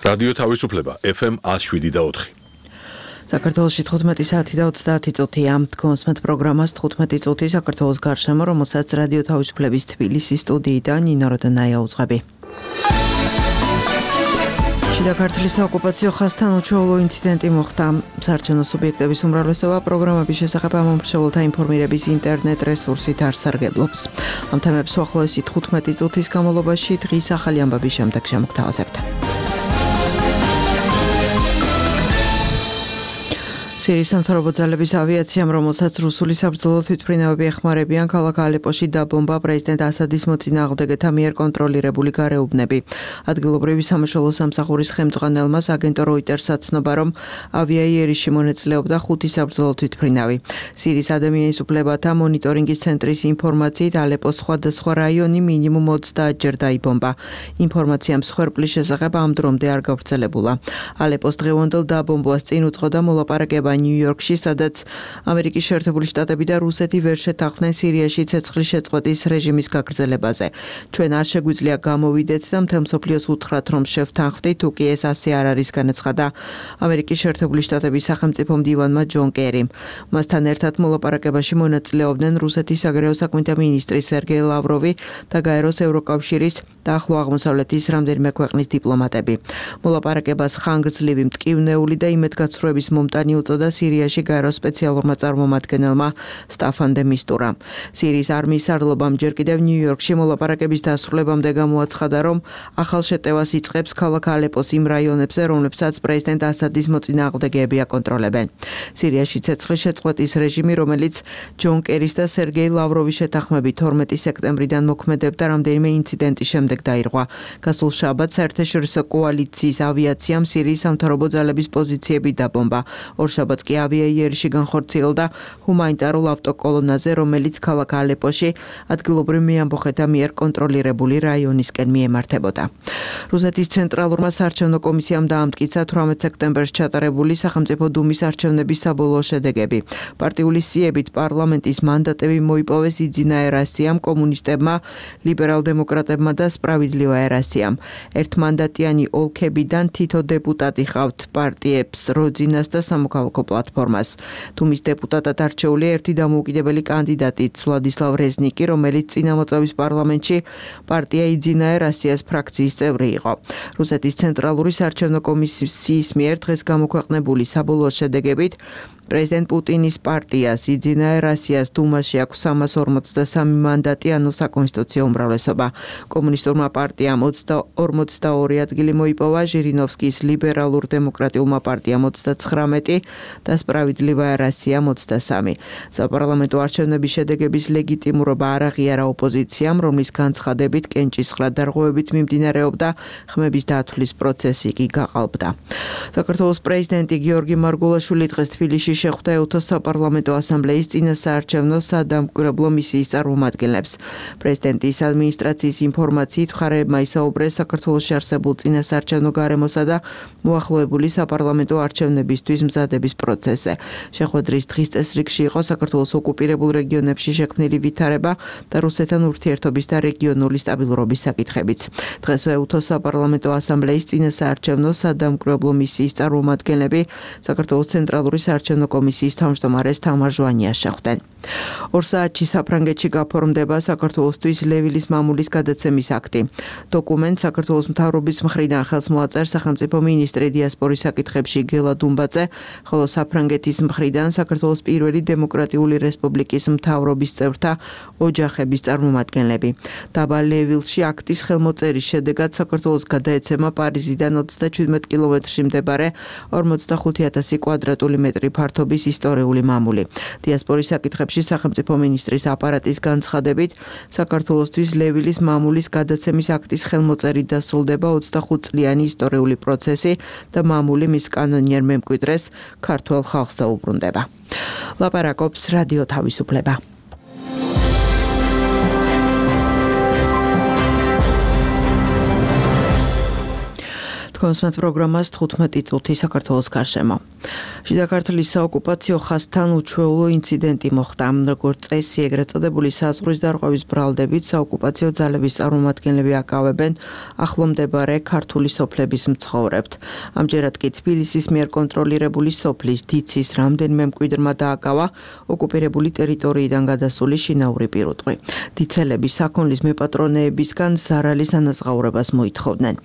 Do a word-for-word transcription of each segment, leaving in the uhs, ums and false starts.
რადიო თავისუფლება ეფ ემ one oh seven და four. საქართველოში თხუთმეტი საათი და ოცდაათი წუთია. გონსმეთ პროგრამას თხუთმეტი წუთი საქართველოს გარშემო, რომელსაც რადიო თავისუფლების თბილისის სტუდიიდან ნინო როდონაია უძღვები. შიდა ქართლის საოკუპაციო ხაზთან უჩვეულო ინციდენტი მოხდა. საარჩევნო სუბიექტების უმრავლესობა პროგრამების შესახებ ამომრჩეველთა ინფორმირების ინტერნეტ რესურსით არ სარგებლობს. ამ თემებს უახლოესი თხუთმეტი წუთის განმავლობაში დღის ახალი ამბების შემდეგ შემოგთავაზებთ. სირიის სამთავრობო ძალების ავიაციამ, რომელსაც რუსული საბრძოლო თვითმფრინავები ეხმარებიან, ქალაქ ალეპოში დაბომბა პრეზიდენტ ასადის მოწინააღმდეგეთა მიერ კონტროლირებული გარეუბნები. ადგილობრივი სამაშველო სამსახურის ხელმძღვანელმა აგენტო როიტერსაც ცნობა, რომ ავიაიერში მონაწილეობდა ხუთი საბრძოლო თვითმფრინავი. სირიის ადამიანის უფლებათა მონიტორინგის ცენტრის ინფორმაციით, ალეპოს სხვადასხვა რაიონი მინიმუმ ოცდაათჯერ დაიბომბა. ინფორმაცია მსხვერპლის შესახებ ამ დრომდე არ გავრცელებულა. ალეპოს დღევანდელ დაბომბვას წინ უძღოდა მოლაპარაკება ნიუ-იორკში, სადაც ამერიკის შეერთებული შტატები და რუსეთი ვერ შეთანხმდნენ სირიაში ცეცხლის შეწყვეტის რეჟიმის გაგრძელებაზე. ჩვენ არ შეგვიძლია გამოვიდეთ და მთელ მსოფლიოს უთხრათ, რომ შევთანხმდით, თუ კი ეს ასე არ არის, განაცხადა ამერიკის შეერთებული შტატების სახელმწიფო მდივანმა ჯონ კერიმ. მასთან ერთად მოლაპარაკებაში მონაწილეობდნენ რუსეთის საგარეო საქმეთა მინისტრი სერგეი ლავროვი და გაეროს ევროკავშირის და ახლო აღმოსავლეთის რამდენიმე ქვეყნის დიპლომატები. მოლაპარაკებას ხანგრძლივი, მტკივნეული და იმედგაცრუების მომტანი უწოდა სირიაში გაეროს სპეციალურმა წარმომადგენელმა სტაფან დე მისტურამ. სირიის არმიის სარდლობამ ჯერ კიდევ ნიუ-იორკში მოლაპარაკების დასრულებამდე გამოაცხადა, რომ ახალ შეტევას იწყებს ქალაქ ალეპოს იმ რაიონებზე, რომლებსაც პრეზიდენტ ასადის მოწინააღმდეგეები აკონტროლებენ. სირიაში ცეცხლის შეწყვეტის რეჟიმი, რომელიც ჯონ კერის და სერგეი ლავროვის შეთანხმებით თორმეტი სექტემბრიდან მოქმედებდა, რამდენიმე ინციდენტის შემდეგ დაირღვა. გასულ შაბათს საერთაშორისო კოალიციის ავიაციამ სირიის სამთავრობო ძალების პოზიციები დაბომბა. ორ შაბათს კი ავიაიერში განხორციელდა ჰუმანიტარულ ავტოკოლონაზე, რომელიც ქალაქ ალეპოში ადგილობრივ მეამბოხეთა მიერ კონტროლირებული რაიონისკენ მიემართებოდა. რუსეთის ცენტრალურმა საარჩევნო კომისიამ დაამტკიცა თვრამეტ სექტემბერს ჩატარებული სახელმწიფო დუმის არჩევნების საბოლოო შედეგები. პარტიული სიებით პარლამენტის მანდატები მოიპოვეს იძინა ერასიამ, კომუნისტებმა, ლიბერალ-დემოკრატებმა და სპრავიდლივა ერასიამ. ერთმანდატიანი ოლქებიდან თითო დეპუტატი ჰყავთ პარტიებს როძინას და სამოქალაქო პლატფორმას. დუმის დეპუტატად არჩეული ერთი დამოუკიდებელი კანდიდატიც ვლადისლავ რეზნიკი, რომელიც წინამოწვევის პარლამენტში პარტია იძინა ერასიას ფრაქციის წევრი იყო. რუსეთის ცენტრალური საარჩევნო კომისიის მიერ დღეს გამოქვეყნებული საბოლოო შედეგებით პრეზიდენტ პუტინის პარტიას იძინა ერასიას დუმაში აქვს სამას ორმოცდასამი მანდატი, ანუ საკონსტიტუციო უმრავლესობა. კომუნისტურმა პარტიამ ორმოცდაორი ადგილი მოიპოვა, ჟირინოვსკის ლიბერალურ-დემოკრატიულმა პარტიამ ოცდაცხრამეტი და სპრავიდლივა ერასიამ ოცდასამი. საპარლამენტო არჩევნების შედეგების ლეგიტიმურობა არ აღიარა ოპოზიციამ, რომლის განცხადებით კენჭისყრა დარღვევებით მიმდინარეობდა, ხმების დათვლის პროცესი კი გაყალბდა. საქართველოს პრეზიდენტი გიორგი მარგულაშვილი დღეს თბილისში შეხვდა ეუთოს საპარლამენტო ასამბლეის წინასაარჩევნო სადამკვირვებლო მისიის წარმომადგენლებს. პრეზიდენტის ადმინისტრაციის ინფორმაციით მხარეებმა ისაუბრეს საქართველოში არსებულ წინასაარჩევნო გარემოსა და მოახლოებული საპარლამენტო არჩევნებისთვის მზადების პროცესზე. შეხვედრის დღის წესრიგში იყო საქართველოს ოკუპირებულ რეგიონებში შექმნილი ვითარება და რუსეთთან ურთიერთობის და რეგიონული სტაბილურობის საკითხებიც. დღეს ეუთოს საპარლამენტო ასამბლეის წინასაარჩევნო სადამკვირვებლო მისიის წარმომადგენლები საქართველოს ცენტრალური საარჩევნო კომისიის თავმჯდომარეს თამარ ჟვანიას შეხვდნენ. ორ საათში საფრანგეთში გაფორმდება საქართველოსთვის ლევილის მამულის გადაცემის აქტი. დოკუმენტს საქართველოს მთავრობის მხრიდან ხელს მოაწერს სახელმწიფო მინისტრი დიასპორის საკითხებში გელა დუმბაძე, ხოლო საფრანგეთის მხრიდან საქართველოს პირველი დემოკრატიული რესპუბლიკის მთავრობის წევრთა ოჯახების წარმომადგენლები. დაბა ლევილში აქტის ხელმოწერის შედეგად საქართველოს გადაეცემა პარიზიდან ოცდაჩვიდმეტ კილომეტრში მდებარე ორმოცდახუთი ათასი კვადრატული მეტრი ფართობის ისტორიული მამული. დიასპორის საკითხებში სახელმწიფო მინისტრის აპარატის განცხადებით, საქართველოსთვის ლევილის მამულის გადაცემის აქტის ხელმოწერით დასრულდება ოცდახუთწლიანი ისტორიული პროცესი და მამული მის კანონიერ მემკვიდრეს ქართველ ხალხს დაუბრუნდება. ლაპარაკობს რადიო თავისუფლება. თქვენს პროგრამას თხუთმეტი წუთი საქართველოს გარშემო. შიდა ქართლის საოკუპაციო ხაზთან უჩვეულო ინციდენტი მოხდა. როგორც წესი, ეგრეთ წოდებული საზღვრის დარღვევის ბრალდებით საოკუპაციო ძალების წარმომადგენლები აკავებენ ახლომდებარე ქართული სოფლების მცხოვრებთ. ამჯერად კი თბილისის მიერ კონტროლირებული სოფლის დიცის რამდენიმე მკვიდრმა დააკავა ოკუპირებული ტერიტორიიდან გადასული შინაური პირუტყვი. დიცელები საქონლის მეპატრონეებისგან ზარალის ანაზღაურებას მოითხოვდნენ.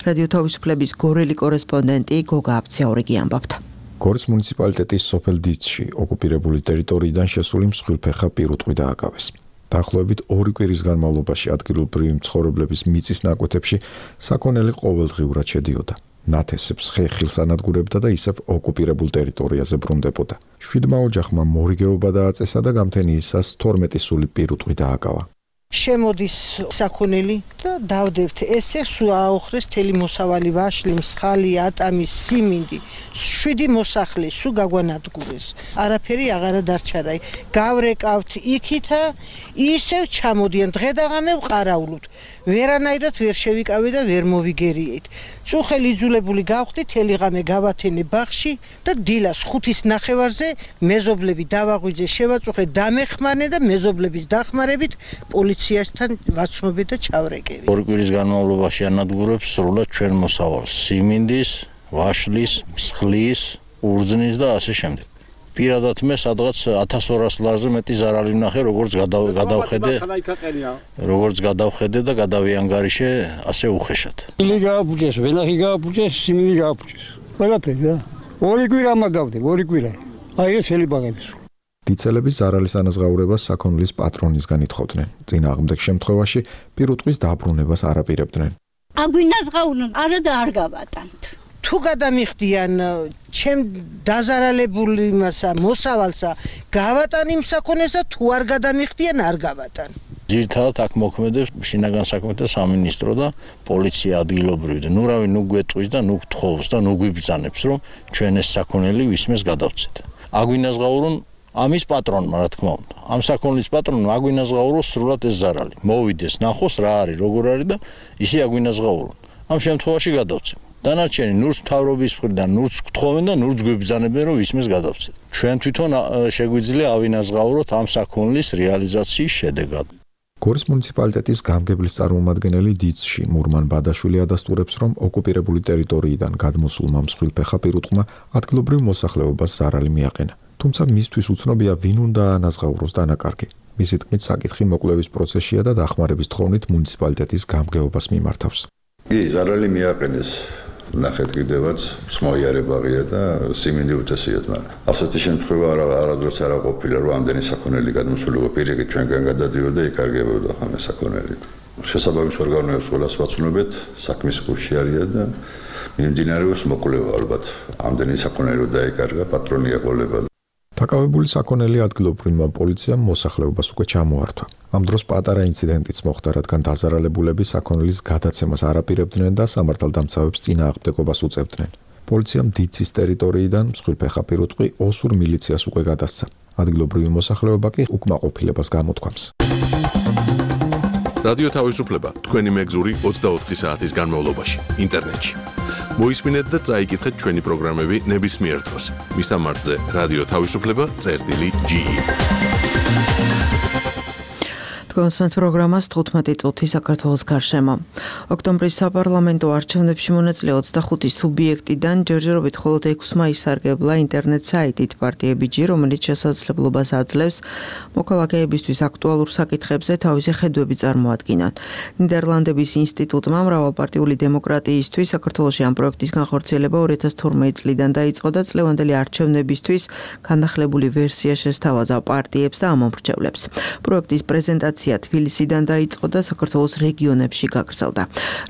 რადიო თავისუფლების გორელი კორესპონდენტი გოგა აბციაურიგი ამბობთ. გორის მუნიციპალიტეტის სოფელ დიცში ოკუპირებული ტერიტორიიდან შესული მსხვილფეხა პირუტყვი დააკავეს. დაახლოებით ორი კვირის განმავლობაში ადგილობრივი მცხოვრებლების მიწის ნაკვეთებში საქონელი ყოველდღიურად შედიოდა. ნათესებს ხეხილს ანადგურებდა და ისევ ოკუპირებულ ტერიტორიაზე ბრუნდებოდა. შვიდმა ოჯახმა მორიგეობა დააწესა და გამთენიისას თორმეტი სული პირუტყვი დააკავა. შემოდის საქონელი და დავდებთ. ესე სულ აოხრეს თელი მოსავალი ვაშლი, მსხალი, ატამი, სიმინდი. შვიდი მოსახლე სულ გაგვანადგურეს. არაფერი აღარა დარჩა რა. გავრეკავთ იქითა, ისევ ჩამოდიან დღე და ღამე ვყარაულობთ. ვერანაირად ვერ შევიკავე და ვერ მოვიგერიეთ. წუხელი იძულებული გავხდი თელი ღამე გავათენე ბაღში და დილას ხუთის ნახევარზე მეზობლები დავაღვიძე, შევაწუხე, დამეხმარნე და მეზობლების დახმარებით პოლიციასთან ვაცნობე და ჩავრეკევი. ორი კვირის განმავლობაში ანადგურებს სრულად ჩვენ მოსავალს: სიმინდის, ვაშლის, მსხლის, ურძნის და ასე შემდეგ. პირადად მე სადღაც ათას ორას ლარზე მეტი ზარალი ვნახე, როგორც გადავხედე, როგორც გადავხედე და გადავიანგარიშე ასე უხეშად. ილი გააფუჭეს, ვენახი გააფუჭეს, სიმინდი გააფუჭეს. ყველაფერი რა. ორი კვირა მაგავდე, ორი კვირა. აი ეს ელი ბაღების. დიცელები ზარალის ანაზღაურებას საქონლის პატრონისგან ითხოვდნენ. წინააღმდეგ შემთხვევაში პირუტყვის დაბრუნებას არ აპირებდნენ. აგვინაზღაურონ, არა და არ გავატანთ. თუ გადამიხდიან ჩემ დაზარალებული მასა მოსავალსა, გავატან იმ საქონელს და თუ არ გადამიხდიან, არ გავატან. ძირთადად აქ მოქმედებს შინაგან საქმეთა სამინისტრო და პოლიცია ადგილობრივი. ნუ რავი, ნუ გვეტყვის და ნუ გთხოვს და ნუ გვიბრძანებს, რომ ჩვენ ეს საქონელი ვისმეს გადავცეთ. აგვინაზღაურონ ამის პატრონმა, რა თქმა უნდა. ამ საქონლის პატრონმა აგვინაზღაუროს სრულად ეს ზარალი. მოვიდეს, ნახოს რა არის, როგორ არის და ისე აგვინაზღაურონ. ამ შემთხვევაში გადავცემ. დანარჩენი ნურს მთავრობის მხრიდან ნურს გთხოვენ და ნურს გვიბრძანებენ, რომ ისმეს გადავცეთ. ჩვენ თვითონ შეგვიძლია ავინაზღაუროთ ამ საქონლის რეალიზაციის შედეგად. გორის მუნიციპალიტეტის გამგებლის წარმომადგენელი დიცში მურმან ბადაშვილი ადასტურებს, რომ ოკუპირებული ტერიტორიიდან გადმოსულმა მსხვილფეხა პირუტყმა ადგილობრივ მოსახლეობას ზარალი მიაყენა. თუმცა მისთვის უცნობია ვინ უნდა ანაზღაუროს დანაკარგი. მისი თქმით, საკითხი მოკვლევის პროცესშია და დახმარების თხოვნით მუნიციპალიტეტის გამგეობას მიმართავს. კი, ზარალი მიაყენეს. ნახეთ კიდევაც მსმოიარებაღია და სიმინდი უწესიათ, მაგრამ ასეთი შემთხვევა არადროს არ ყოფილა, რომ ამდენი საქონელი გადმოსულიყო პირიქით ჩვენგან გადადიოდა, იკარგებოდა ხამე საქონელი. შესაბამის ორგანოებს ყველას ვაცნობეთ, საქმის კურსში არიან და მიმდინარეობს მოკვლევა ალბათ. ამდენი საქონელი დაიკარგა, პატრონი ეყოლება. დაკავებული საქონელი ადგილობრივმა პოლიციამ მოსახლეობას უკვე ჩამოართვა. ამ დროს პატარა ინციდენტიც მოხდა, რადგან დაზარალებულები საქონელის გადაცემას არ აპირებდნენ და სამართალდამცავებს წინააღმდეგობას უწევდნენ. პოლიციამ დიცის ტერიტორიიდან მსხვილფეხა პირუტყვი ოსურ მილიციას უკვე გადასცა. ადგილობრივი მოსახლეობა კი უკმაყოფილებას გამოთქვამს. რადიო თავისუფლება თქვენი მეგზური ოცდაოთხი საათის განმავლობაში ინტერნეტში. მოისმინეთ და წაიკითხეთ ჩვენი პროგრამები ნებისმიერ დროს. მისამართზე რადიო თავისუფლება წერტილი ჯი. თქვენს პროგრამას თხუთმეტი წუთი საქართველოს გარშემო. ოქტომბრის საპარლამენტო არჩევნებში მონაწილე ოცდახუთი სუბიექტიდან ჯერჯერობით მხოლოდ ექვსმა ისარგებლა ინტერნეტ საიტით პარტიები ჯი, რომელიც შესაძლებლობას აძლევს მოქალაქეებისთვის აქტუალურ საკითხებზე თავისი ხედვები წარმოადგინონ. ნიდერლანდების ინსტიტუტმა მრავალპარტიული დემოკრატიისთვის საქართველოში ამ პროექტის განხორციელება ორი ათას თორმეტი წლიდან დაიწყო და წლევანდელი არჩევნებისთვის განახლებული ვერსია შესთავაზა პარტიებს და ამომრჩევლებს. პროექტის პრეზენტაცია თბილისიდან დაიწყო და საქართველოს რეგიონებში გაგრძელდა.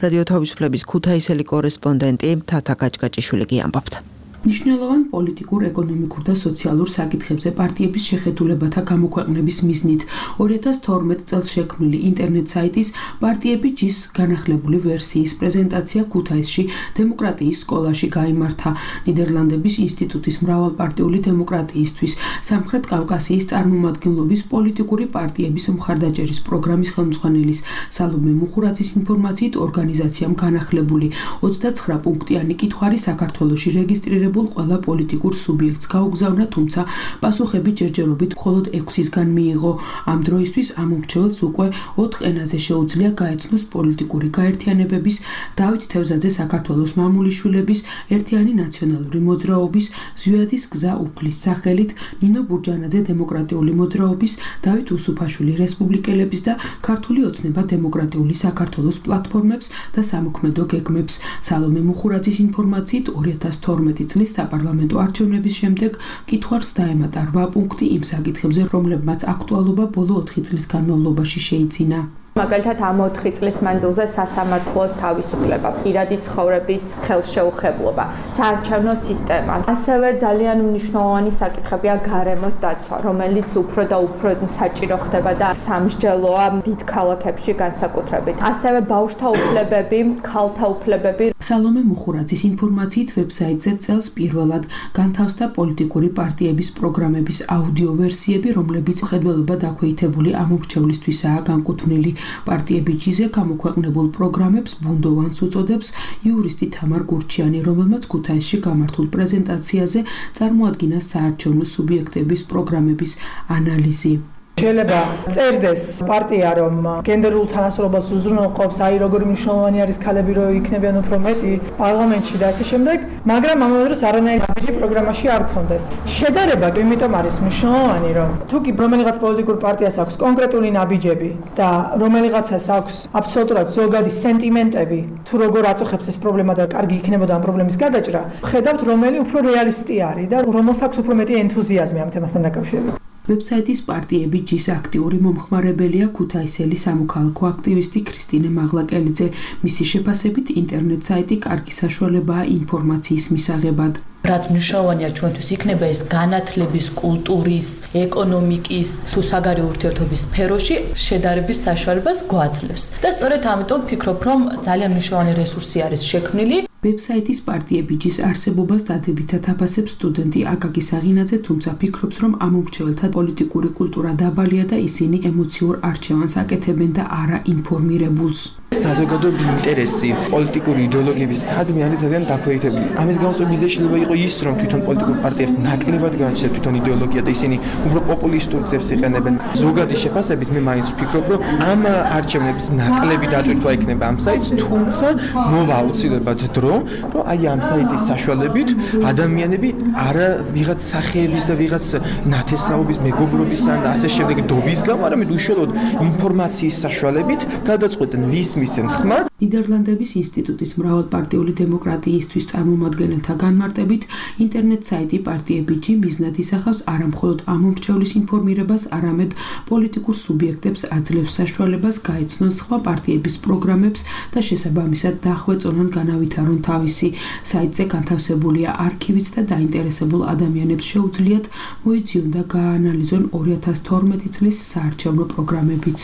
რადიო თავისუფლების ქუთაისელი კორესპონდენტი თათა გაჭგაჭიშვილი ამბობთ. მნიშვნელოვან პოლიტიკურ, ეკონომიკურ და სოციალურ საკითხებზე პარტიების შეხედულებათა გამოქვეყნების მიზნით ორი ათას თორმეტ წელს შექმნილი ინტერნეტ საიტის პარტიები ჯის განახლებული ვერსიის პრეზენტაცია ქუთაისში დემოკრატიის სკოლაში გაიმართა. ნიდერლანდების ინსტიტუტის მრავალპარტიული დემოკრატიისთვის სამხრეთ კავკასიის წარმომადგენლობის პოლიტიკური პარტიების მხარდაჭერის პროგრამის ხელმძღვანელის სალომე მუხურაძის ინფორმაციით ორგანიზაციამ განახლებული ოცდაცხრა პუნქტიანი კითხვარი საქართველოში რეგისტრირებულ ყველა პოლიტიკურ სუბიექტს გაუგზავნა, თუმცა პასუხები ჯერჯერობით მხოლოდ ექვსისგან მიიღო. ამ დროისთვის ამ მომრჩეველს უკვე ოთხ ენაზე შეუძლია გაეცნოს პოლიტიკური გაერთიანებების, დავით თევზაძე საქართველოს მამულიშვილების, ერთიანი ნაციონალური მოძრაობის, ზვიადის გზა უფლის სახელით, ნინო ბურჯანაძე დემოკრატიული მოძრაობის, დავით უსუფაშვილი რესპუბლიკელების და ქართული ოცნება დემოკრატიული საქართველოს პლატფორმებს და სამოქმედო გეგმებს. სალომე მუხურაძის ინფორმაციით ორი ათას თორმეტი წლის საპარლამენტო არჩევნების შემდეგ კითხვარს დაემატა რვა პუნქტი იმ საკითხებზე, რომლებმაც აქტუალობა ბოლო ოთხი წლის განმავლობაში შეიძინა. მაგალითად ამ ოთხი წლის მანძილზე სასამართლოს თავისუფლება, პირადი ცხოვრების ხელშეუხებლობა, საარჩევნო სისტემა. ასევე ძალიან მნიშვნელოვანი საკითხებია გარემოს დაცვა, რომელიც უფრო და უფრო საჭირო ხდება და სამსჯელოა დიდ ქალაქებში განსაკუთრებით. ასევე ბავშვთა უფლებები, ქალთა უფლებები. სალომე მუხურაძის ინფორმაციით ვებსაიტზე წელს პირველად განთავსდა პოლიტიკური პარტიების პროგრამების აუდიო ვერსიები, რომლებიც ხედველობა დაქვეითებული ამ მომრჩევლისთვისაა განკუთვნილი. პარტიები ჯიზე გამოქვეყნებულ პროგრამებს ბუნდოვანს უწოდებს იურისტი თამარ გურჩიანი, რომელმაც ქუთაისში გამართულ პრეზენტაციაზე წარმოადგინა საარჩევნო სუბიექტების პროგრამების ანალიზი. შეიძლება წერდეს პარტია, რომ გენდერულ თანასწორობას უზრუნველყოფს, აი როგორი მნიშვნელოვანი არის ქალები, რომ იქნებიან უფრო მეტი პარლამენტში და ასე შემდეგ, მაგრამ ამავე დროს არანაირი ნაბიჯი პროგრამაში არ გქონდეს. შედარება კი იმიტომ არის მნიშვნელოვანი, რომ თუ კი რომელიღაც პოლიტიკურ პარტიას აქვს კონკრეტული ნაბიჯები და რომელიღაცას აქვს აბსოლუტურად ზოგადი სენტიმენტები, თუ როგორ აწუხებს ეს პრობლემა და კარგი იქნებოდა ამ პრობლემის გადაჭრა, ხედავთ რომელი უფრო რეალისტი არის და რომელს აქვს უფრო მეტი ენთუზიაზმი ამ თემასთან დაკავშირებით. ვებსაიტის პარტიები ჯის აქტიური მომხმარებელია ქუთაისელი სამოქალაქო აქტივისტი ქრისტინე მაღლაკელიძე. მისი შეფასებით ინტერნეტ საიტი კარგი საშუალებაა ინფორმაციის მისაღებად. რაც მნიშვნელოვანია ჩვენთვის იქნება ეს განათლების, კულტურის, ეკონომიკის თუ საგარეო ურთიერთობის სფეროში შედარების საშუალებას გვაძლევს. და სწორედ ამიტომ ვფიქრობ, რომ ძალიან მნიშვნელოვანი რესურსი არის შექმნილი. ვებსაიტის პარტიები ჯის არსებობას დადებითად აფასებს სტუდენტი აკაკი საღინაძე, თუმცა ფიქრობს, რომ ამ მომრჩეველთა პოლიტიკური კულტურა დაბალია და ისინი ემოციურ არჩევანს აკეთებენ და არა ინფორმირებულს. საზოგადოების ინტერესი პოლიტიკური იდეოლოგიების სადმე არის ძალიან დაქვეითებული. ამის გამოწვევის შეიძლება იყოს ის, რომ თვითონ პოლიტიკურ პარტიებს ნაკლებად განაჩნიათ თვითონ იდეოლოგია და ისინი უფრო პოპულისტურ გზებს იყენებენ. ზოგადი შეფასებით მე მაინც ვფიქრობ, რომ ამ არჩევნების ნაკლები დატვირთვა იქნება ამ საიტს, თუმცა მოვა აუცილებლად დრო, რომ აი ამ საიტის საშუალებით ადამიანები არა ვიღაც სახეების და ვიღაც ნათესაობის, მეგობრობის ან ასე შემდეგ დობის გამო, არამედ უშუალოდ ინფორმაციის საშუალებით გადაწყვეტენ ვის მისცენ ხმა. ნიდერლანდების ინსტიტუტის მრავალპარტიული დემოკრატიისთვის წარმომადგენელთა განმარტებით, ინტერნეტ საიტი პარტიები ჯი მიზნად ისახავს არა მხოლოდ ამ მომრჩევლის ინფორმირებას, არამედ პოლიტიკურ სუბიექტებს აძლევს საშუალებას გაეცნონ სხვა პარტიების პროგრამებს და შესაბამისად დაახვეწონონ განავითარონ თავისი. საიტზე განთავსებულია არქივიც და დაინტერესებულ ადამიანებს შეუძლიათ მოიძიონ და გააანალიზონ ორი ათას თორმეტი წლის საარჩევნო პროგრამებიც.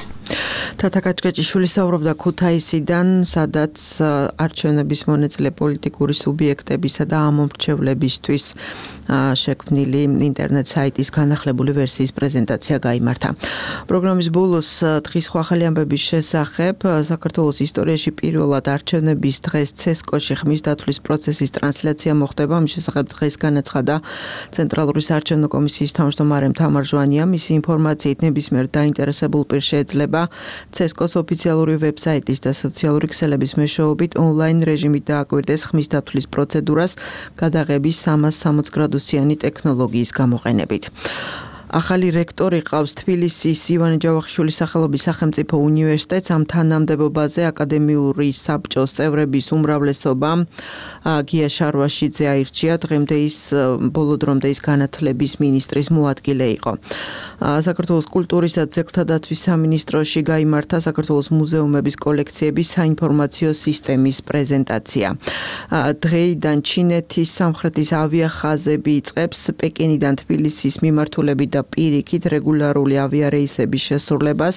თათა კაჭკაჭიშვილი საუბრობდა ქუთაისიდან, სადაც არჩევნების მონაწილე პოლიტიკური სუბიექტებისა და ამომრჩევლებისთვის შექმნილი ინტერნეტ საიტის განახლებული ვერსიის პრეზენტაცია გაიმართა. პროგრამის ბოლოს დღის ახალი ამბების შესახებ საქართველოს ისტორიაში პირველად არჩევნების დღეს ცესკოში ხმის დათვლის პროცესის ტრანსლაცია მოხდება. მის შესახებ დღეს განაცხადა ცენტრალური საარჩევნო კომისიის თავმჯდომარე თამარ ჟვანია. მისი ინფორმაციით ნებისმიერ დაინტერესებულ პირს შეიძლება ცესკოს ოფიციალური ვებსაიტის და სოციალური ქსელების მეშვეობით ონლაინ რეჟიმით დააკვირდეს ხმის დათვლის პროცედურას გადაღების სამას სამოცი გრადუსიანი ტექნოლოგიის გამოყენებით. ახალი რექტორი ყავს თბილისის ივანე ჯავახიშვილის სახელობის სახელმწიფო უნივერსიტეტს. ამ თანამდებობაზე აკადემიური საბჭოს წევრების უმრავლესობამ გია შარვაშიძე აირჩია. დღემდე ის ბოლო დრომდე ის განათლების მინისტრის მოადგილე იყო. საქართველოს კულტურისა და ძეგლთა დაცვის სამინისტროში გაიმართა საქართველოს მუზეუმების კოლექციების საინფორმაციო სისტემის პრეზენტაცია. დღეიდან ჩინეთის სამხრეთის ავიახაზები იწყებს პეკინიდან თბილისის მიმართულებით და პირიქით რეგულარული ავიარეისების შესრულებას.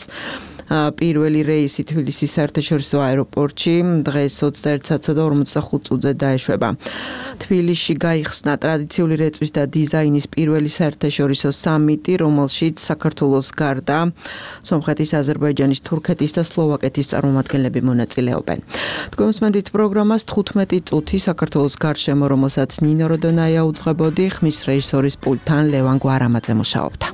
პირველი რეისი თბილისის საერთაშორისო აეროპორტში დღეს ოცდაერთი საათსა და ორმოცდახუთ წუთზე დაეშვება. თბილისში გაიხსნა ტრადიციული რეწვის და დიზაინის პირველი საერთაშორისო სამიტი, რომელშიც საქართველოს გარდა სომხეთის, აზერბაიჯანის, თურქეთის და სლოვაკეთის წარმომადგენლები მონაწილეობენ. თქვენ უსმენთ პროგრამას თხუთმეტი წუთი საქართველოს გარშემო, რომელსაც ნინო როდონაია უძღვებოდი, ხმის რეჟისორის პულტთან ლევან გვარამაძე მუშაობდა.